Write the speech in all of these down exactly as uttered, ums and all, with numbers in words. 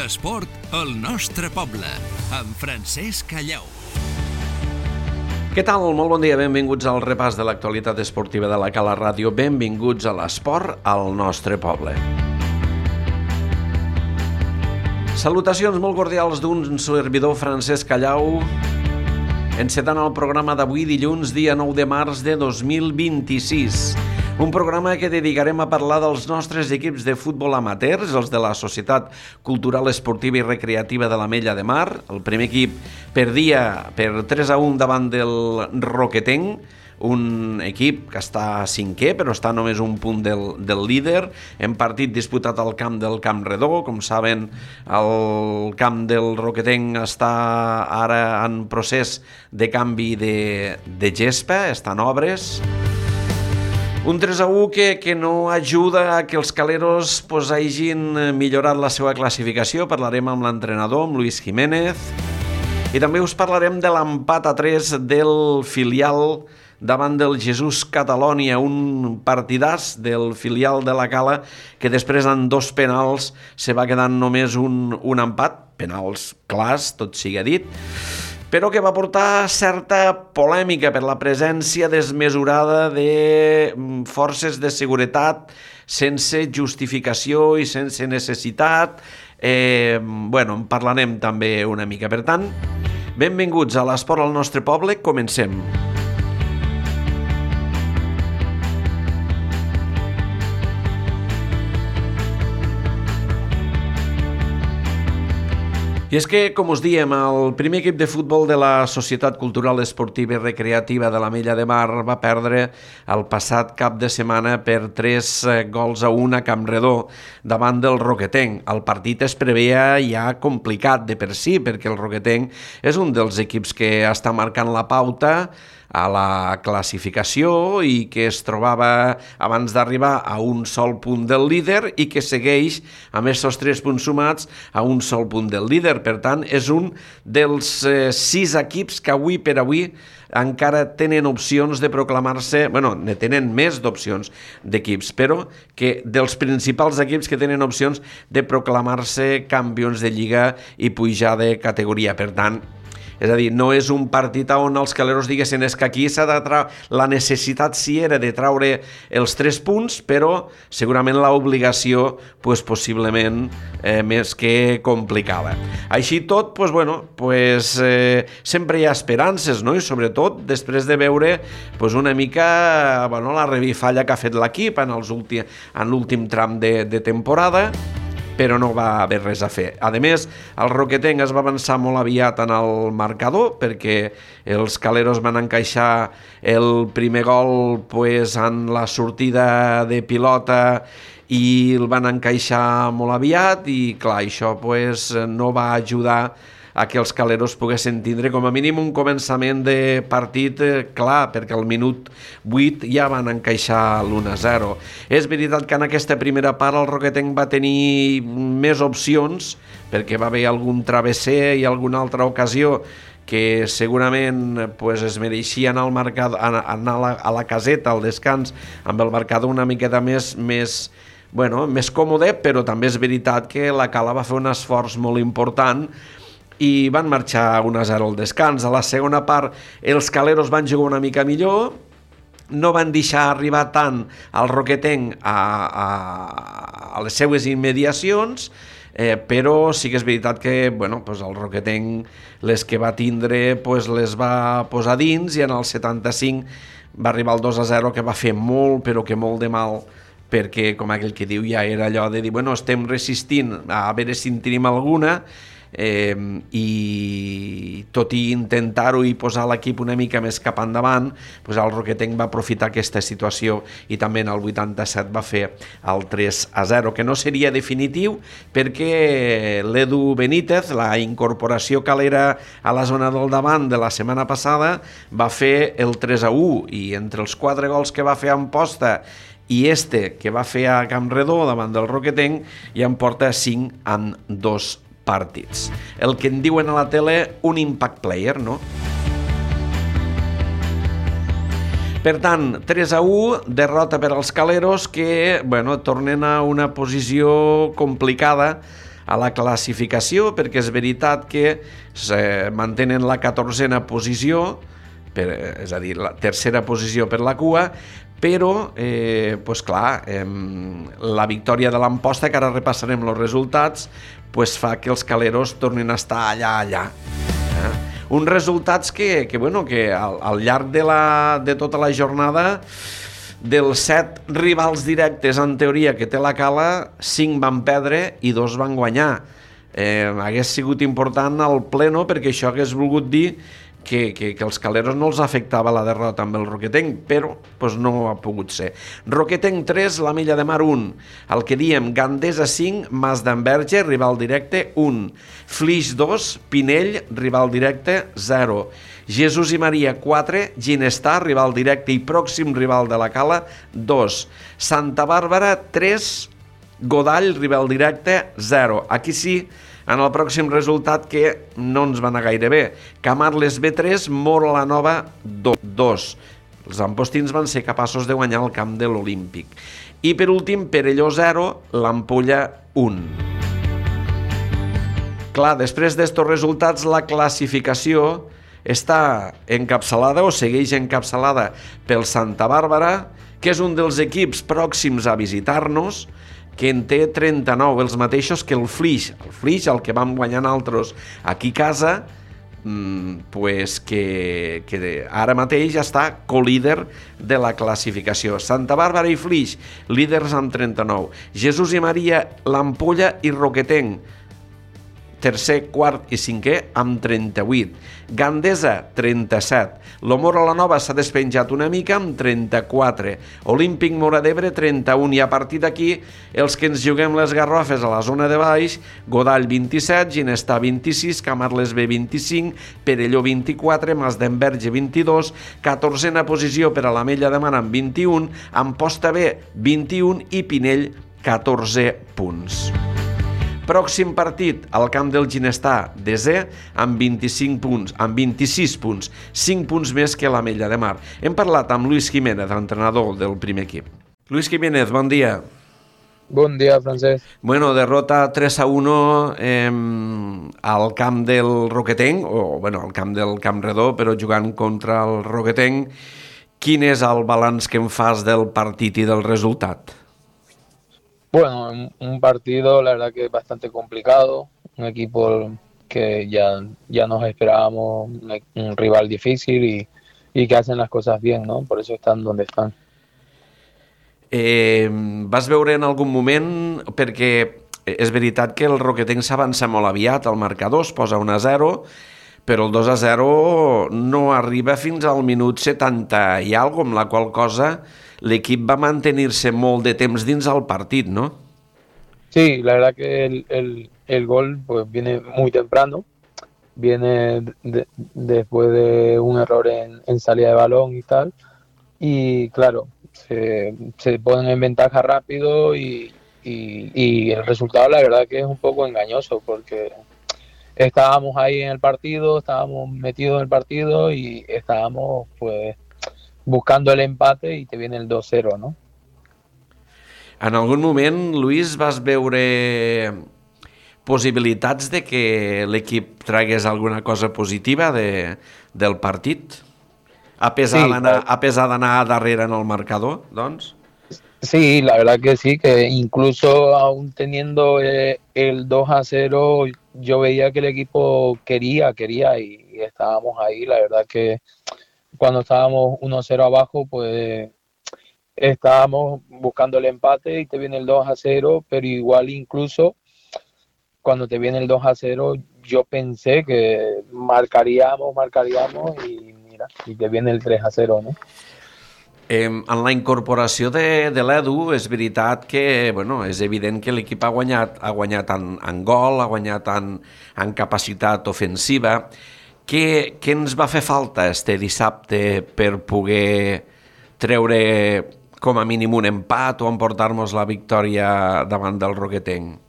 L'esport al nostre poble, amb Francesc Callau. Què tal? Molt bon dia, benvinguts al repàs de l'actualitat esportiva de la Cala Ràdio. Benvinguts a l'esport al nostre poble. Salutacions molt cordials d'un servidor, Francesc Callau, encetant el programa d'avui, dilluns, dia nou de març de dos mil vint-i-sis. Un programa que dedicarem a parlar dels nostres equips de futbol amateurs, els de la Societat Cultural Esportiva i Recreativa de l'Ametlla de Mar. El primer equip perdia per tres a un davant del Roquetenc, un equip que està cinquè, però està només un punt del, del líder, en partit disputat al camp del Camp Redó. Com saben, el camp del Roquetenc està ara en procés de canvi de, de gespa, està en obres. Un tres a u que, que no ajuda a que els caleros pues, hagin millorat la seva classificació. Parlarem amb l'entrenador, amb Luis Jiménez, i també us parlarem de l'empat a tres del filial davant del Jesús Catalònia, un partidàs del filial de la Cala que després en dos penals se va quedant només un, un empat, penals clars, tot sigui dit, però que va portar certa polèmica per la presència desmesurada de forces de seguretat sense justificació i sense necessitat. Eh, bueno, en parlarem també una mica. Per tant, benvinguts a l'esport al nostre poble, comencem. I és que, com us diem, el primer equip de futbol de la Societat Cultural Esportiva i Recreativa de l'Ametlla de Mar va perdre el passat cap de setmana per tres gols a un a Camp Redó davant del Roquetenc. El partit es preveia ja complicat de per si, perquè el Roquetenc és un dels equips que està marcant la pauta a la classificació i que es trobava abans d'arribar a un sol punt del líder i que segueix amb aquests tres punts sumats a un sol punt del líder. Per tant, és un dels eh, sis equips que avui per avui encara tenen opcions de proclamar-se, bueno, ne tenen més d'opcions d'equips, però que dels principals equips que tenen opcions de proclamar-se campions de Lliga i pujar de categoria. Per tant, és a dir, no és un partit on els caleros diguessin és que aquí s'ha de traure, la necessitat sí era de traure els tres punts, però segurament l'obligació pues, possiblement eh, més que complicada. Així tot, pues, bueno, pues, eh, sempre hi ha esperances, no? I sobretot després de veure pues, una mica bueno, la revifalla que ha fet l'equip en, els últim, en l'últim tram de, de temporada, però no va haver res a fer. A més, el Roquetenc es va avançar molt aviat en el marcador perquè els caleros van encaixar el primer gol pues, en la sortida de pilota i el van encaixar molt aviat i clar, això pues, no va ajudar a que els caleros poguessin tindre com a mínim un començament de partit eh, clar, perquè al minut vuit ja van encaixar l'u a zero. És veritat que en aquesta primera part el Roquetenc va tenir més opcions, perquè va haver algun travesser i alguna altra ocasió que segurament pues, es mereixia anar, al marcador, anar a, la, a la caseta, al descans, amb el marcador una miqueta més, més, bueno, més còmode, però també és veritat que la Cala va fer un esforç molt important i van marxar un a zero al descans. A la segona part els caleros van jugar una mica millor, no van deixar arribar tant al Roquetenc a, a, a les seues immediacions, eh, però sí que és veritat que bueno, pues el Roquetenc les que va tindre pues les va posar dins i en el setanta-cinc va arribar el dos a zero que va fer molt però que molt de mal, perquè com aquell que diu ja era allò de dir bueno, estem resistint a veure si en tenim alguna, Eh, i tot i intentar-ho i posar l'equip una mica més cap endavant, pues el Roquetenc va aprofitar aquesta situació i també en el vuitanta-set va fer el tres a zero, que no seria definitiu perquè l'Edu Benítez, la incorporació calera a la zona del davant de la setmana passada, va fer el tres a u i entre els quatre gols que va fer a Amposta i este que va fer a Camp Redó davant del Roquetenc ja en porta cinc en dos partits. El que en diuen a la tele un impact player, no? Per tant, tres a u, derrota per als caleros que, bueno, tornen a una posició complicada a la classificació, perquè és veritat que se mantenen la catorzena posició, per, és a dir, la tercera posició per la cua, però, eh, pues clar, eh, la victòria de l'Amposta, que ara repassarem els resultats, pues fa que els caleros tornin a estar allà, allà. Eh? Uns resultats que, que, bueno, que al, al llarg de, la, de tota la jornada, dels set rivals directes, en teoria, que té la Cala, cinc van perdre i dos van guanyar. Eh, hagués sigut important al pleno, perquè això hagués volgut dir que, que, que els caleros no els afectava la derrota amb el Roquetenc, però pues, no ha pogut ser. Roquetenc tres, la Milla de Mar un. El que diem, Gandesa cinc, Mas d'Enverge, rival directe un. Flix dos, Pinell, rival directe zero. Jesús i Maria quatre, Ginestar, rival directe i pròxim rival de la Cala dos. Santa Bàrbara tres, Godall, rival directe zero. Aquí sí, en el pròxim resultat que no ens va anar gaire bé. Camarles B tres, Mora la Nova dos. Els ampostins van ser capaços de guanyar el camp de l'Olímpic. I per últim, Perelló zero, l'Ampolla un. Clar, després d'estos resultats, la classificació està encapçalada o segueix encapçalada pel Santa Bàrbara, que és un dels equips pròxims a visitar-nos, que en té trenta-nou, els mateixos que el Flix. El Flix, el que vam guanyar nosaltres aquí a casa, pues que, que ara mateix ja està co-líder de la classificació. Santa Bàrbara i Flix, líders amb trenta-nou. Jesús i Maria, l'Ampolla i Roquetenc, tercer, quart i cinquè amb trenta-vuit. Gandesa, trenta-set. L'Omora la Nova s'ha despenjat una mica amb trenta-quatre. Olímpic Móra d'Ebre, trenta-un. I a partir d'aquí, els que ens juguem les garrofes a la zona de baix, Godall, vint-i-set, Ginestar, vint-i-sis, Camarles B, vint-i-cinc, Perelló, vint-i-quatre, Mas d'Enverge, vint-i-dos, catorzena posició per a la Mella de Mar amb vint-i-un, Amposta B, vint-i-un i Pinell, catorze punts. Pròxim partit, al camp del Ginestar, desè, amb vint-i-cinc punts, amb vint-i-sis punts, cinc punts més que la Mella de Mar. Hem parlat amb Luis Jiménez, entrenador del primer equip. Luis Jiménez, bon dia. Bon dia, Francesc. Bueno, derrota tres a u eh, al camp del Roquetenc, o bueno, al camp del Camp Redó, però jugant contra el Roquetenc. Quin és el balanç que em fas del partit i del resultat? Bueno, un partido la verdad que es bastante complicado, un equipo que ya, ya nos esperábamos, un, un rival difícil y, y que hacen las cosas bien, ¿no? Por eso están donde están. Eh, vas veure en algun moment, perquè és veritat que el Roquetenc s'avança molt aviat, el marcador es posa un a zero, però el dos a zero no arriba fins al minut setanta i alguna cosa, amb la qual cosa l'equip va mantenir-se molt de temps dins el partit, ¿no? Sí, la verdad que el, el, el gol pues viene muy temprano, viene de, después de un error en, en salida de balón y tal, y claro, se, se ponen en ventaja rápido y, y, y el resultado la verdad que es un poco engañoso porque estábamos ahí en el partido, estábamos metidos en el partido y estábamos pues buscando el empate i te viene el dos cero, no? En algun moment, Luis, vas veure possibilitats de que l'equip tragués alguna cosa positiva de, del partit? A pesar sí, d'anar a pesar d'anar darrere en el marcador, doncs? Sí, la verdad que sí, que incluso aún teniendo eh, el dos a cero, yo veía que el equipo quería, quería y, y estábamos ahí, la verdad que cuando estábamos uno cero abajo, pues estábamos buscando el empate y te viene el dos a cero, pero igual incluso cuando te viene el dos a cero, yo pensé que marcaríamos, marcaríamos y mira, y te viene el tres a cero, ¿no? Eh, en la incorporació de, de l'Edu és veritat que, bueno, és evident que l'equip ha guanyat, ha guanyat en, en gol, ha guanyat en, en capacitat ofensiva. Què, què ens va fer falta este dissabte per poder treure com a mínim un empat o emportar-nos la victòria davant del Roquetenc?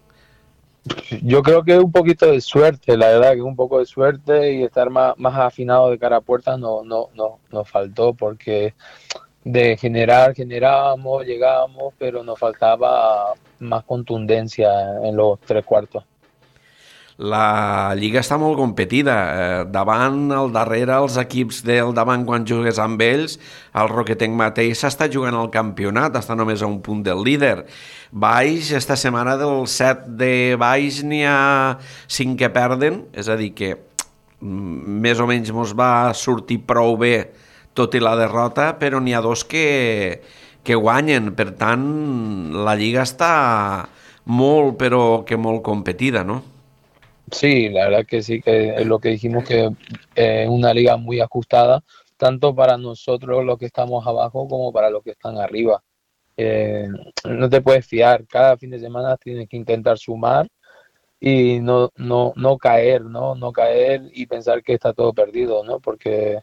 Yo creo que un poquito de suerte, la verdad que un poco de suerte y estar más, más afinado de cara a puerta no, no, no, nos faltó porque de generar, generábamos, llegábamos, pero nos faltaba más contundencia en los tres cuartos. la Lliga està molt competida. Eh, davant, al darrere, els equips del davant quan jugues amb ells, el Roquetenc mateix s'està jugant al campionat, està només a un punt del líder. Baix, esta setmana del set de baix n'hi ha cinc que perden, és a dir que més o menys mos va sortir prou bé tot i la derrota, però n'hi ha dos que, que guanyen. Per tant, la Lliga està molt, però que molt competida, ¿no? Sí, la verdad que sí, que es lo que dijimos, que es eh, una liga muy ajustada, tanto para nosotros los que estamos abajo como para los que están arriba. Eh, no te puedes fiar, cada fin de semana tienes que intentar sumar y no, no, no caer, ¿no? No caer y pensar que está todo perdido, ¿no? Porque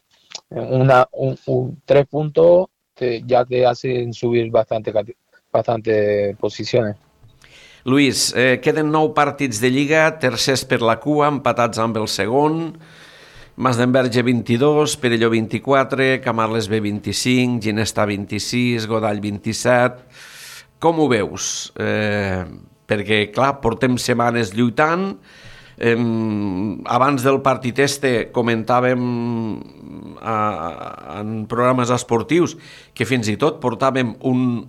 una, un, un, tres puntos te, ya te hacen subir bastante, bastante posiciones. Luis, eh, queden nou partits de Lliga, tercers per la cua, empatats amb el segon, Masdenverge vint-i-dos, Perelló vint-i-quatre, Camarles B vint-i-cinc, Ginestà vint-i-sis, Godall vint-i-set. Com ho veus? Eh, perquè, clar, portem setmanes lluitant. Eh, abans del partit este comentàvem a, en programes esportius que fins i tot portàvem un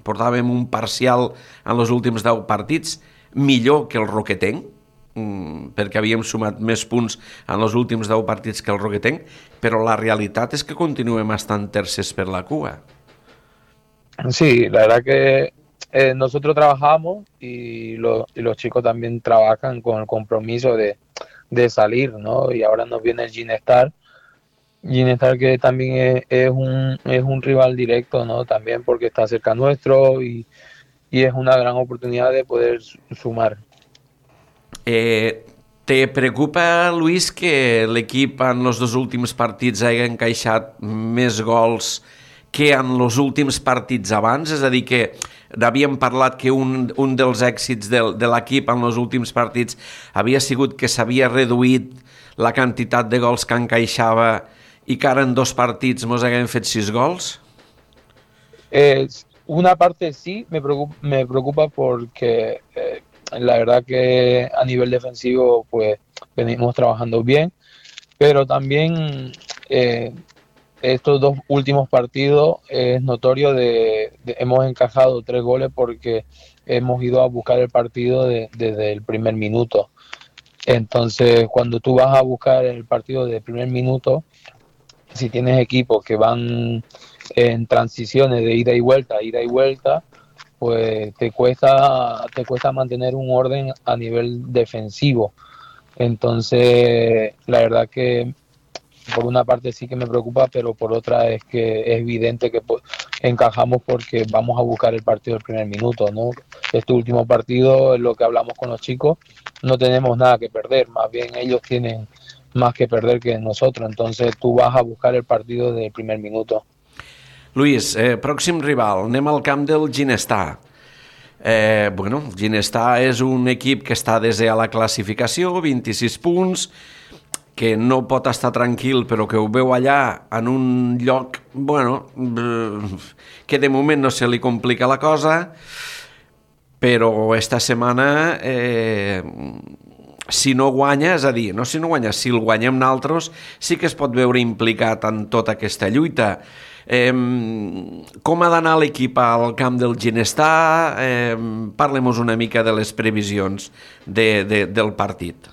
portàvem un parcial en els últims deu partits millor que el Roquetenc, perquè havíem sumat més punts en els últims deu partits que el Roquetenc, però la realitat és que continuem estant tercers per la cua. Sí, la verdad que eh, nosotros trabajamos y, lo, y los chicos también trabajan con el compromiso de, de salir, ¿no? Y ahora nos viene el Ginestà, Ginestà que también es, es, un, es un rival directo, ¿no? También porque está cerca nuestro y, y es una gran oportunidad de poder sumar. Eh, te preocupa, Luis, que l'equip en els dos últims partits hagi encaixat més gols que en els últims partits abans? És a dir, que havíem parlat que un, un dels èxits de, de l'equip en els últims partits havia sigut que s'havia reduït la quantitat de gols que encaixava y que ara en dos partits mos haguem fet sis gols? Eh, una parte sí, me preocupa, me preocupa porque eh, la verdad que a nivel defensivo pues venimos trabajando bien, pero también eh, estos dos últimos partidos es notorio de, de hemos encajado tres goles porque hemos ido a buscar el partido de, desde el primer minuto. Entonces, cuando tú vas a buscar el partido desde el primer minuto, si tienes equipos que van en transiciones de ida y vuelta, ida y vuelta, pues te cuesta, te cuesta mantener un orden a nivel defensivo. Entonces, la verdad que por una parte sí que me preocupa, pero por otra es que es evidente que encajamos porque vamos a buscar el partido del primer minuto, ¿no? Este último partido es lo que hablamos con los chicos, no tenemos nada que perder, más bien ellos tienen más que perder que nosotros, entonces tú vas a buscar el partido del primer minuto. Luis, eh, pròxim rival, anem al camp del Ginestà. Eh, bueno, Ginestà és un equip que està desè a la classificació, vint-i-sis punts, que no pot estar tranquil, però que ho veu allà en un lloc, bueno, que de moment no se li complica la cosa, però esta setmana, eh, si no guanya, és a dir, no si no guanya, si el guanyem nosaltres, sí que es pot veure implicat en tota aquesta lluita. Eh, com ha d'anar l'equip al camp del Ginestà? Eh, Parlem-nos una mica de les previsions de, de, del partit.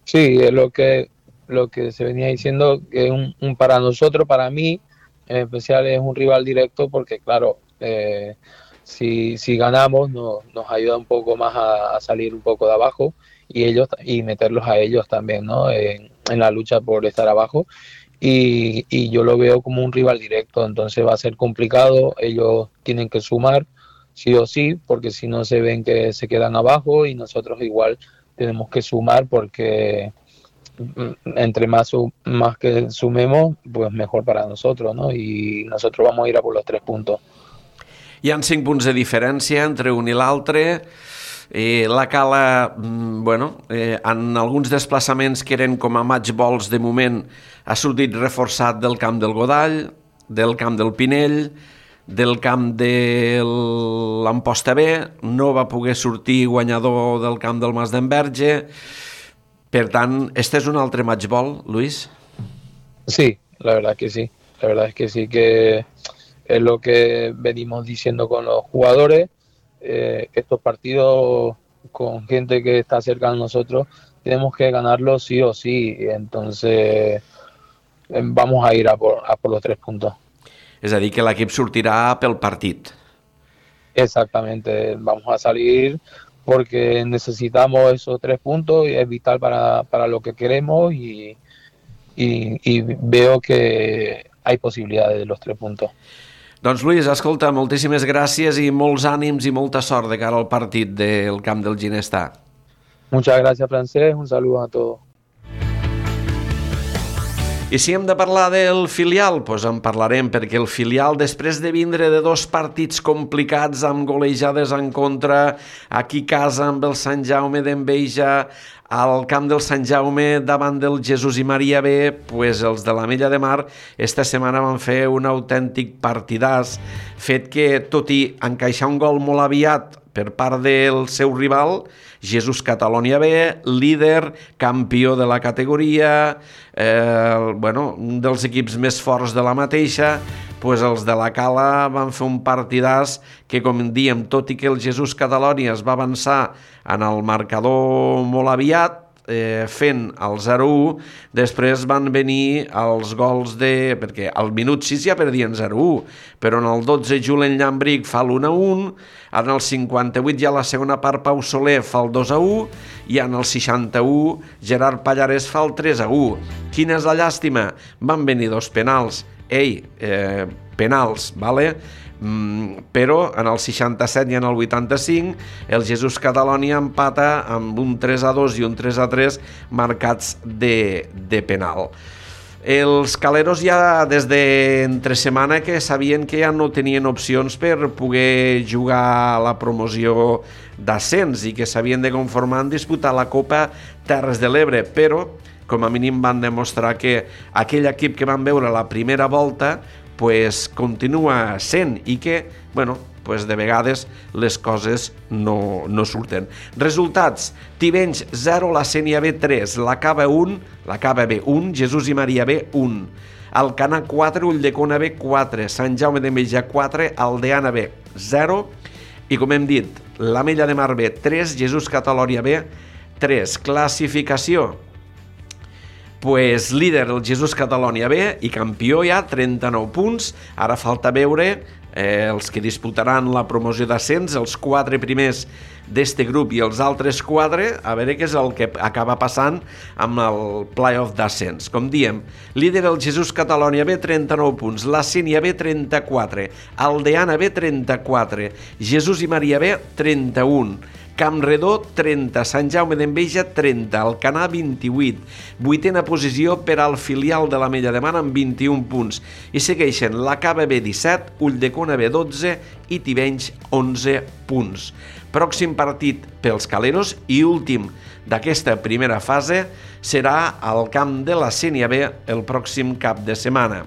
Sí, es lo que lo que se venía diciendo, que un, un para nosotros, para mí, en especial es un rival directo porque, claro, eh, si, si ganamos no, nos ayuda un poco más a, a salir un poco de abajo y ellos y meterlos a ellos también, ¿no? En, en la lucha por estar abajo y, y yo lo veo como un rival directo, entonces va a ser complicado, ellos tienen que sumar sí o sí, porque si no se ven que se quedan abajo y nosotros igual tenemos que sumar porque entre más, más que sumemos, pues mejor para nosotros, ¿no? Y nosotros vamos a ir a por los tres puntos. Hi ha cinc punts de diferència entre un i l'altre. Eh, la Cala, bueno, eh, en alguns desplaçaments que eren com a match balls de moment, ha sortit reforçat del camp del Godall, del camp del Pinell, del camp de l'Amposta B, no va poder sortir guanyador del camp del Mas d'Enverge. Per tant, este és un altre match ball, Luis? Sí, la verdad que sí. La verdad es que sí, que es lo que venimos diciendo con los jugadores. Eh, estos partidos con gente que está cerca de nosotros tenemos que ganarlos sí o sí. Entonces vamos a ir a por, a por los tres puntos. És a dir, que l'equip sortirà pel partit. Exactamente, vamos a salir porque necesitamos esos tres puntos y es vital para, para lo que queremos y, y, y veo que hay posibilidades de los tres puntos. Doncs Luis, escolta, moltíssimes gràcies i molts ànims i molta sort de cara al partit del camp del Ginestà. Muchas gracias, Francesc, un saludo a todos. I si hem de parlar del filial, doncs en parlarem, perquè el filial, després de vindre de dos partits complicats amb golejades en contra, aquí a casa amb el Sant Jaume d'Enveja, al camp del Sant Jaume davant del Jesús i Maria B, doncs els de l'Ametlla de Mar esta setmana van fer un autèntic partidàs, fet que, tot i encaixar un gol molt aviat per part del seu rival, Jesús Catalonia B, líder, campió de la categoria, eh, bueno, un dels equips més forts de la mateixa, pues els de la Cala van fer un partidàs que, com diem, tot i que el Jesús Catalonia es va avançar en el marcador molt aviat, eh, fent el zero a u, després van venir els gols de... perquè al minut sis ja perdien zero a u, però en el dotze Julen Llambric fa l'u a un, en el cinquanta-vuit ja la segona part Pau Soler fa el dos a u i en el seixanta-u Gerard Pallarès fa el tres a u. Quina és la llàstima? Van venir dos penals. Ei, eh, penals, vale? Mm, però en el seixanta-set i en el vuitanta-cinc el Jesús Catalonia empata amb un tres a dos i un tres a tres marcats de, de penal. Els caleros ja des d'entre setmana que sabien que ja no tenien opcions per poder jugar a la promoció d'ascens i que s'havien de conformar en disputar la Copa Terres de l'Ebre, però com a mínim van demostrar que aquell equip que van veure la primera volta pues continua sent i que, bueno, pues de vegades les coses no, no surten. Resultats: Tivenys zero, la Sénia B tres, la Cava un, la Cava B un, Jesús i Maria B un, Alcanar quatre, Ulldecona B quatre, Sant Jaume d'Enveja quatre, Aldeana B zero i, com hem dit, l'Ametlla de Mar B tres, Jesús Catalonia B tres. Classificació: pues líder el Jesús Catalonia B i campió ja, trenta-nou punts. Ara falta veure eh, els que disputaran la promoció d'ascens, els quatre primers d'este grup i els altres quatre, a veure què és el que acaba passant amb el play-off d'ascens. Com diem, líder el Jesús Catalonia B, trenta-nou punts, la Sénia B, trenta-quatre, Aldeana B, trenta-quatre, Jesús i Maria B, trenta-un, Campredó, trenta, Sant Jaume d'Enveja, trenta, Alcanar, vint-i-vuit, vuitena posició per al filial de l'Ametlla de Mar amb vint-i-un punts, i segueixen la Cava B, disset, Ulldecona B, dotze i Tivenys, onze punts. Pròxim partit pels caleros i últim d'aquesta primera fase serà al camp de la Sénia B el pròxim cap de setmana.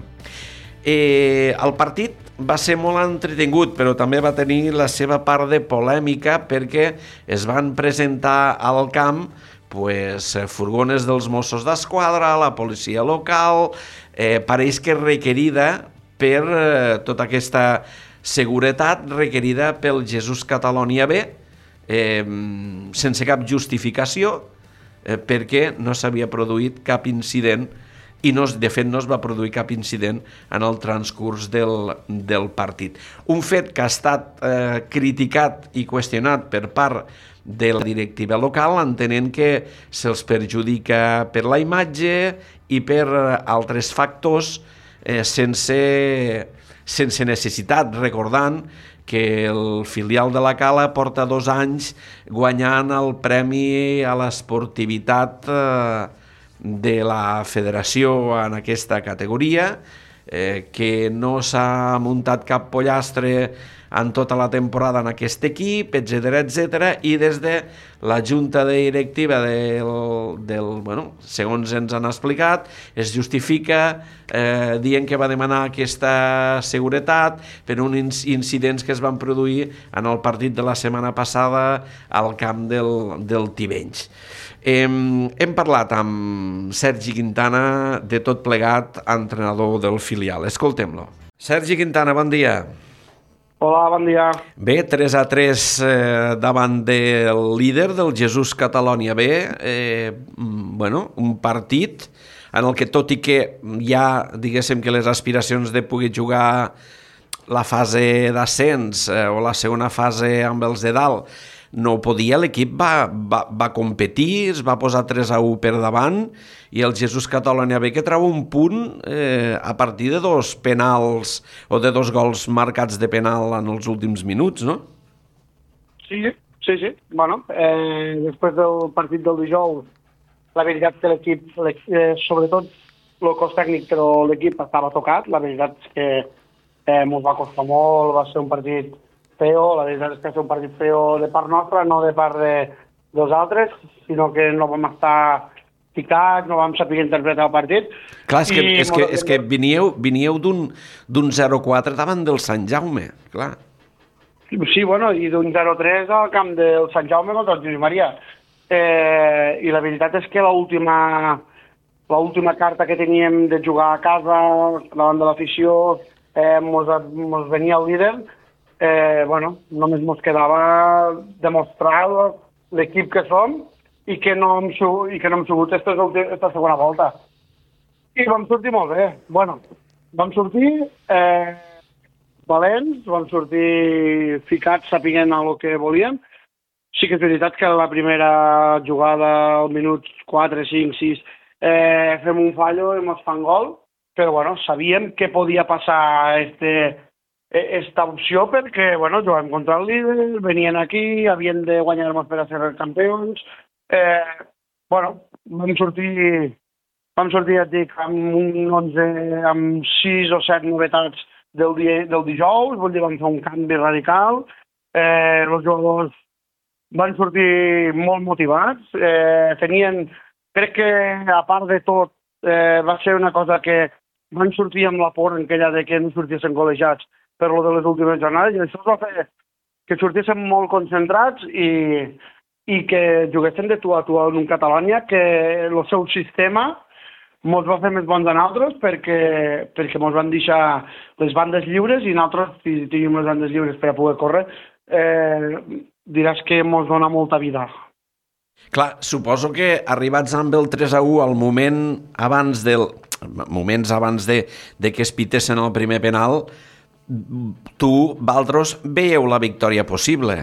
Eh, el partit va ser molt entretingut, però també va tenir la seva part de polèmica perquè es van presentar al camp pues, furgones dels Mossos d'Esquadra, la policia local, eh, pareix que requerida per eh, tota aquesta seguretat requerida pel Jesús Catalonia B, eh, sense cap justificació, eh, perquè no s'havia produït cap incident i no, de fet no es va produir cap incident en el transcurs del, del partit. Un fet que ha estat eh, criticat i qüestionat per part de la directiva local, entenent que se'ls perjudica per la imatge i per altres factors eh, sense, sense necessitat, recordant que el filial de la Cala porta dos anys guanyant el premi a l'esportivitat eh, de la federació en aquesta categoria, eh, que no s'ha muntat cap pollastre en tota la temporada en aquest equip, etcètera, etcètera, i des de la junta directiva del, del, bueno, segons ens han explicat, es justifica eh, dient que va demanar aquesta seguretat per uns incidents que es van produir en el partit de la setmana passada al camp del, del Tivenys. Hem, hem parlat amb Sergi Quintana de tot plegat, entrenador del filial. Escoltem-lo. Sergi Quintana, bon dia. Hola, bon dia. Bé, tres a tres eh, davant del líder del Jesús Catalonia B. Eh, bueno, un partit en el que, tot i que ja, diguéssim que les aspiracions de poder jugar la fase d'ascens eh, o la segona fase amb els de dalt no ho podia, l'equip va, va, va competir, es va posar tres a u per davant i el Jesús Catalonia B que treu un punt eh, a partir de dos penals o de dos gols marcats de penal en els últims minuts, no? Sí, sí, sí. Bueno, eh, després del partit del dijous, la veritat que l'equip, eh, sobretot el cos tècnic, però l'equip estava tocat. La veritat és que eh, ens va costar molt, va ser un partit feo, la veritat és que va ser un partit feo de part nostra, no de part de, dels altres, sinó que no vam estar ficats, no vam saber interpretar el partit. Clar, és que, és que, és que viníeu, viníeu d'un zero quatre davant del Sant Jaume, clar. Sí, bueno, i d'un zero tres al camp del Sant Jaume contra el Josep Maria. Eh, I la veritat és que l'última l'última carta que teníem de jugar a casa davant de l'afició, eh, mos, mos venia el líder. Eh, bueno, només ens quedava demostrar l'equip que som i que no hem, i que no hem sigut aquesta, aquesta segona volta. I vam sortir molt bé. Bueno, vam sortir eh, valents, vam sortir ficats sapiguent el que volíem. Sí que és veritat que la primera jugada, al minut quatre, cinc, sis, eh, fem un fallo i ens fan gol, però bueno, sabíem que podia passar este esta opció perquè, bueno, jugàvem contra el líder, venien aquí, havien de guanyar-nos per a ser campions. Eh, bueno, vam sortir, vam sortir, et dic, amb un onze, amb sis o set novetats del, dia, del dijous, vull dir, vam fer un canvi radical. Eh, els jugadors van sortir molt motivats, eh, tenien, crec que a part de tot, eh, va ser una cosa que van sortir amb la por aquella de que no sortissin col·legiats per lo de les últimes jornades, i això va fer que sortíssim molt concentrats i, i que juguessin de tu a tu en un Catalonia, que el seu sistema ens va fer més bons a nosaltres perquè, perquè ens van deixar les bandes lliures i nosaltres, si tenim les bandes lliures per a poder córrer, eh, diràs que ens dona molta vida. Clar, suposo que arribats amb el tres a u al moment abans del... moments abans de, de que es pitessin el primer penal, tu, Valdros, veieu la victòria possible.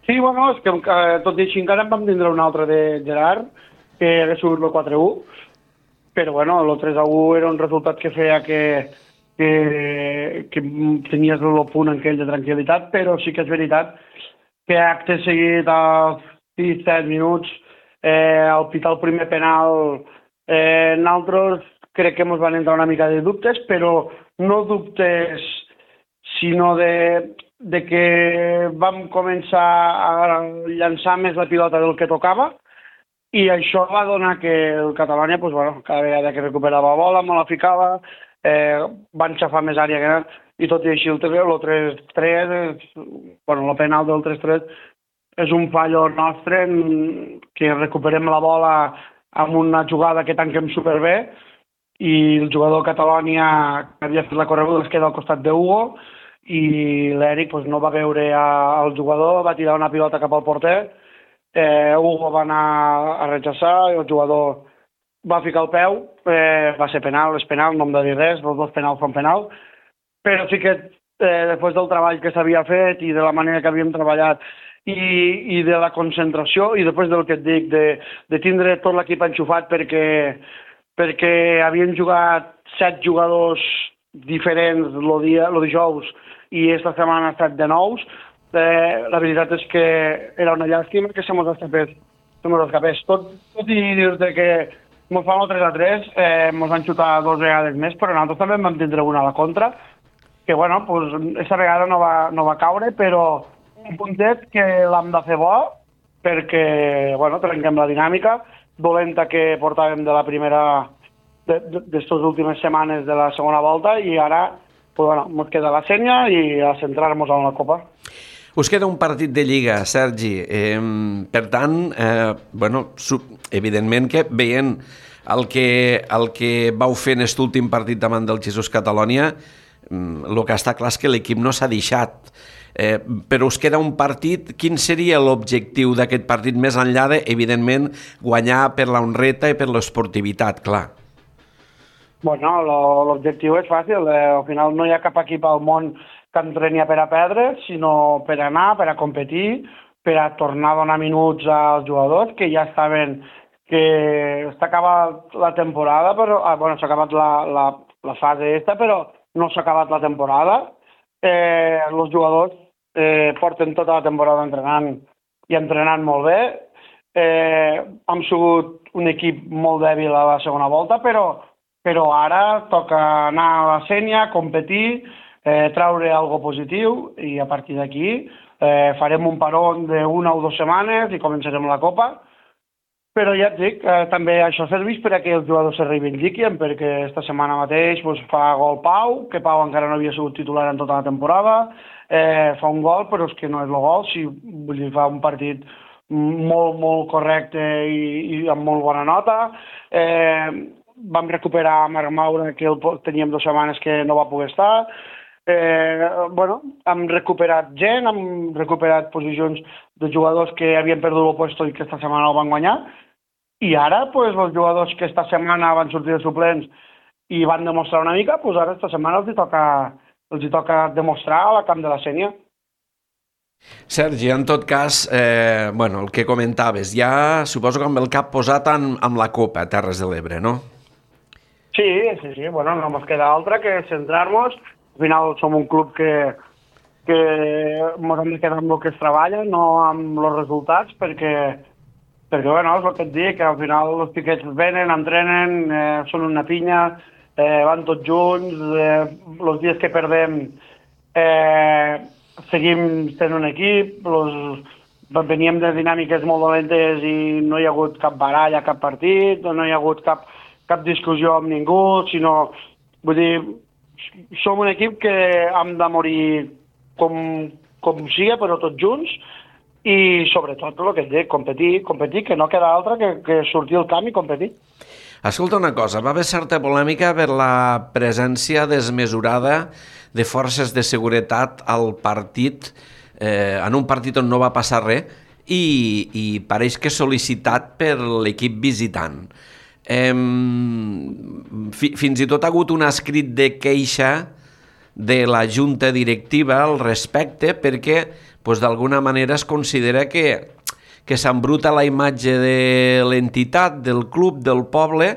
Sí, bueno, és que eh, tot i així encara en vam tindre un altre de Gerard, que hagués sigut el quatre a u, però bueno, el tres a u era un resultat que feia que, que, que tenies el punt aquell de tranquil·litat, però sí que és veritat que acte seguit als sis set minuts, eh, al pitar el primer penal, eh, nosaltres crec que ens van entrar una mica de dubtes, però no dubtes, sinó de, de que vam començar a llançar més la pilota del que tocava, i això va donar que el Catalonia, pues, bueno, cada vegada que recuperava la bola, me la ficava, eh, van xafar més àrea que anat, i tot i així el tres tres, bueno, el penal del tres tres és un fallo nostre en que recuperem la bola amb una jugada que tanquem superbé, i el jugador Catalonia que havia fet la correguda es queda al costat d'Hugo i l'Eric pues, no va veure el jugador, va tirar una pilota cap al porter, eh, Hugo va anar a rechaçar i el jugador va ficar el peu, eh, va ser penal, és penal, no em de dir res, els dos penals són penal, però sí que eh, després del treball que s'havia fet i de la manera que havíem treballat i, i de la concentració i després del que et dic, de, de tindre tot l'equip enxufat perquè perquè havien jugat set jugadors diferents el dia, el dijous, i aquesta setmana ha estat de nous. Eh, la veritat és que era una llàstima que se mos escapés. Se mos escapés. Tot, tot i dir-te que mos fan el tres a tres, eh, mos van xutar dues vegades més, però nosaltres també vam tindre una a la contra, que bueno, pues, aquesta vegada no va, no va caure, però un puntet que l'hem de fer bo, perquè bueno, trenquem la dinàmica dolenta que portàvem de la primera, d'estes últimes setmanes de la segona volta, i ara pues, bueno, ens queda la senya i a centrar-nos en la Copa. Us queda un partit de Lliga, Sergi. Eh, per tant, eh, bueno, evidentment que veient el que, el que vau fer en aquest últim partit davant del Jesús Catalonia, el que està clar és que l'equip no s'ha deixat. Eh, però us queda un partit. Quin seria l'objectiu d'aquest partit més enllà de, evidentment, guanyar per la honreta i per l'esportivitat, clar? Bueno, l'objectiu és fàcil. Eh, al final no hi ha cap equip al món que entreni per a perdre, sinó per anar, per a competir, per a tornar a donar minuts als jugadors que ja saben que està acabat la temporada, però ah, bueno, s'ha acabat la, la, la fase aquesta, però no s'ha acabat la temporada. Eh, els jugadors eh, porten tota la temporada entrenant i entrenant molt bé. Eh, hem sigut un equip molt dèbil a la segona volta, però, però ara toca anar a la sènia, competir, eh, traure algo positiu, i a partir d'aquí eh, farem un parón d'una o dues setmanes i començarem la Copa. Però ja et dic, eh, també això serveix per a que els jugadors se reivindiquin, perquè esta setmana mateix pues, fa gol Pau, que Pau encara no havia sigut titular en tota la temporada, eh, fa un gol, però és que no és el gol, si, vull dir, fa un partit molt, molt correcte i, i amb molt bona nota. Eh, vam recuperar Marc Maura, que el teníem dues setmanes que no va poder estar. Eh, bueno, hem recuperat gent, hem recuperat posicions de jugadors que havien perdut el puesto i que esta setmana el van guanyar, i ara pues, els jugadors que esta setmana van sortir de suplents i van demostrar una mica, pues ara esta setmana els hi toca, els hi toca demostrar a la camp de la sènia. Sergi, en tot cas, eh, bueno, el que comentaves, ja suposo que amb el cap posat en, amb la Copa Terres de l'Ebre, no? Sí, sí, sí, bueno, no ens queda altra que centrar-nos. Al final som un club que, que ens hem de quedar amb el que es treballa, no amb els resultats, perquè, perquè bueno, és el que et dic, que al final els piquets venen, entrenen, eh, són una pinya, eh, van tots junts, eh, els dies que perdem eh, seguim sent un equip, los, veníem de dinàmiques molt dolentes i no hi ha hagut cap baralla, cap partit, no hi ha hagut cap, cap discussió amb ningú, sinó, vull dir, som un equip que hem de morir com, com sigui, però tots junts, i sobretot el que et dic, competir, competir, que no queda altra que, que sortir al camp i competir. Escolta una cosa, va haver certa polèmica per la presència desmesurada de forces de seguretat al partit, eh, en un partit on no va passar res, i, i pareix que sol·licitat per l'equip visitant. Eh, fi, fins i tot ha hagut un escrit de queixa de la junta directiva al respecte, perquè pues, d'alguna manera es considera que, que s'embruta la imatge de l'entitat, del club, del poble,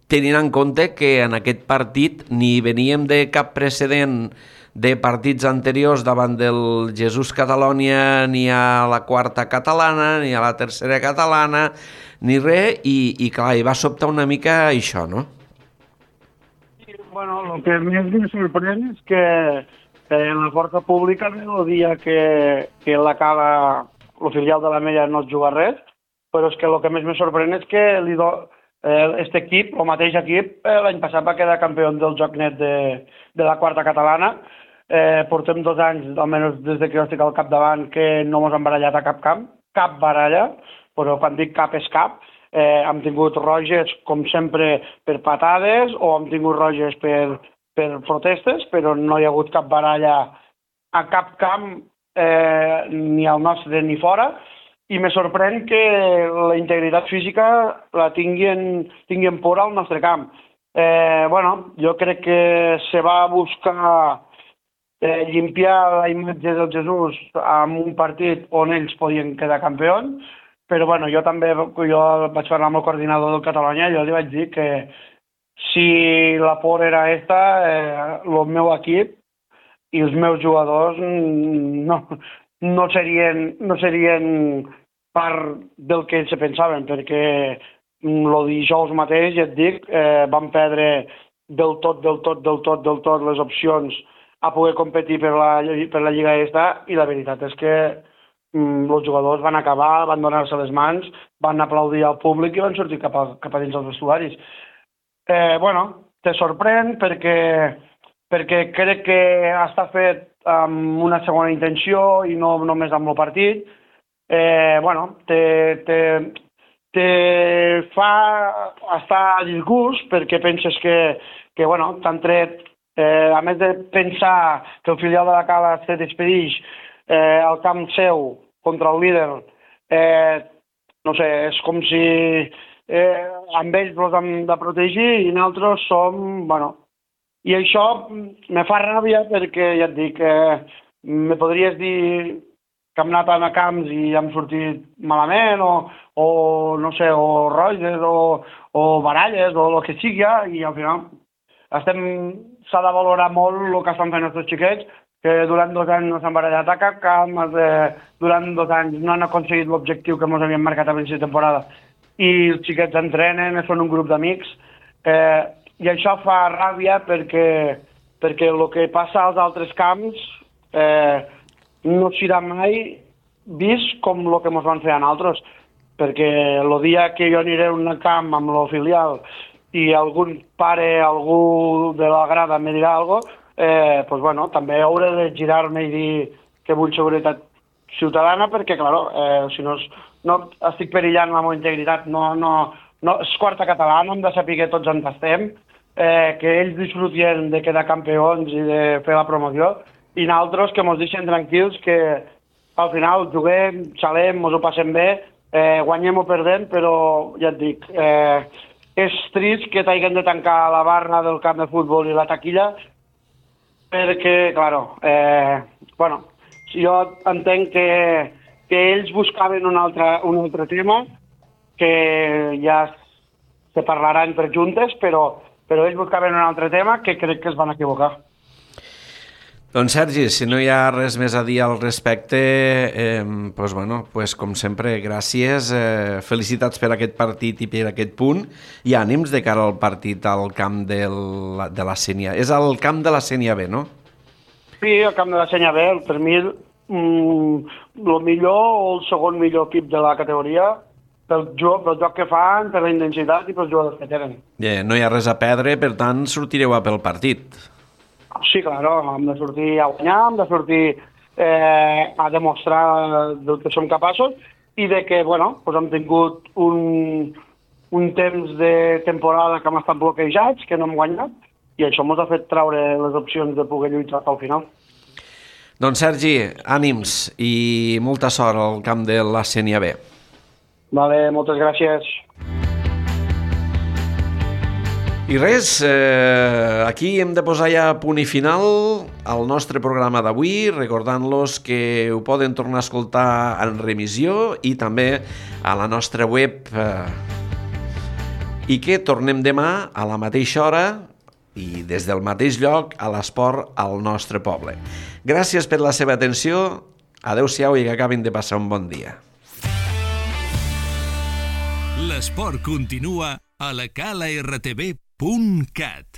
tenint en compte que en aquest partit ni veníem de cap precedent de partits anteriors davant del Jesús Catalonia, ni a la quarta catalana, ni a la tercera catalana, ni res, i, i clar, i va sobtar una mica això, no? Sí, bueno, el que més em sorprèn és que eh, la força pública el dia que, que la Cala, el filial de la Mella, no es juga res, però és que el que més me sorprèn és que li do, eh, este equip, el mateix equip, eh, l'any passat va quedar campió del Joc-Net de, de la quarta catalana. Eh, portem dos anys, almenys des de que jo estic al capdavant, que no ens hem barallat a cap camp, cap baralla, però quan dic cap és cap. Eh, hem tingut roges, com sempre, per patades, o hem tingut roges per, per protestes, però no hi ha hagut cap baralla a cap camp, eh, ni al nostre ni fora, i me sorprèn que la integritat física la tinguin, tinguin por al nostre camp. Eh, bueno, jo crec que se va buscar eh, limpiar la imatge del Jesús amb un partit on ells podien quedar campions, però bueno, jo també jo vaig parlar amb el coordinador del Catalunya i jo li vaig dir que si la por era esta, eh, el meu equip i els meus jugadors no, no, serien, no serien part del que se pensaven, perquè el dijous mateix, ja et dic, eh, vam perdre del tot, del tot, del tot, del tot les opcions a poder competir per la, per la Lliga esta, i la veritat és que mm, els jugadors van acabar, van donar-se les mans, van aplaudir al públic i van sortir cap a, cap a dins dels vestuaris. Eh, bueno, te sorprèn perquè, perquè crec que està fet amb una segona intenció i no només amb el partit. Eh, bueno, te, te, te fa estar a disgust perquè penses que, que bueno, t'han tret, eh, a més de pensar que el filial de la Cala se despedeix eh, al camp seu contra el líder, eh, no sé, és com si eh, amb ells els hem de protegir i nosaltres som, bueno, i això me fa ràbia perquè ja et dic, eh, me podries dir que hem anat a camps i hem sortit malament o, o no sé, o roges o, o baralles o el que sigui, i al final estem, s'ha de valorar molt el que estan fent els xiquets, que durant dos anys no s'han barallat a cap camp, eh, durant dos anys no han aconseguit l'objectiu que ens havien marcat a l'inici de temporada, i els xiquets entrenen, són un grup d'amics, eh, i això fa ràbia perquè, perquè el que passa als altres camps eh, no serà mai vist com el que ens van fer a nosaltres, perquè el dia que jo aniré a un camp amb el filial i algun pare, algú de la grada me dirà alguna cosa, eh, pues bueno, també hauré de girar-me i dir que vull seguretat ciutadana perquè, clar, eh, si no, no estic perillant la meva integritat, no, no, no, és quarta catalana, hem de saber que tots en tastem, eh, que ells disfrutien de quedar campions i de fer la promoció, i nosaltres que ens deixen tranquils, que al final juguem, xalem, ens ho passem bé, eh, guanyem o perdem, però ja et dic, eh, és trist que t'hagin de tancar la barra del camp de futbol i la taquilla, perquè, claro, eh, bueno, jo entenc que, que ells buscaven un altre, un altre tema, que ja se parlaran per juntes, però, però ells buscaven un altre tema que crec que es van equivocar. Doncs Sergi, si no hi ha res més a dir al respecte, eh, pues bueno, pues com sempre, gràcies, eh, felicitats per aquest partit i per aquest punt, i ànims de cara al partit al camp del, de la Sénia. És al camp de la Sénia B, no? Sí, al camp de la Sénia B, per mi, mm, el millor o el segon millor equip de la categoria, pel joc, pel joc que fan, per la intensitat i pels jugadors que tenen. Yeah, no hi ha res a perdre, per tant, sortireu a pel partit. Sí, claro, hem de sortir a guanyar, hem de sortir eh, a demostrar del que som capaços i de que, bueno, pues hem tingut un, un temps de temporada que hem estat bloquejats, que no hem guanyat, i això ens ha fet traure les opcions de poder lluitar al final. Doncs Sergi, ànims i molta sort al camp de la Sénia B. Vale, moltes gràcies. I res, eh, aquí hem de posar ja punt i final al nostre programa d'avui, recordant-los que ho poden tornar a escoltar en remissió i també a la nostra web, eh, i que tornem demà a la mateixa hora i des del mateix lloc a l'esport al nostre poble. Gràcies per la seva atenció, adeu-siau i que acabin de passar un bon dia. L'esport continua a la cala r t v punt cat.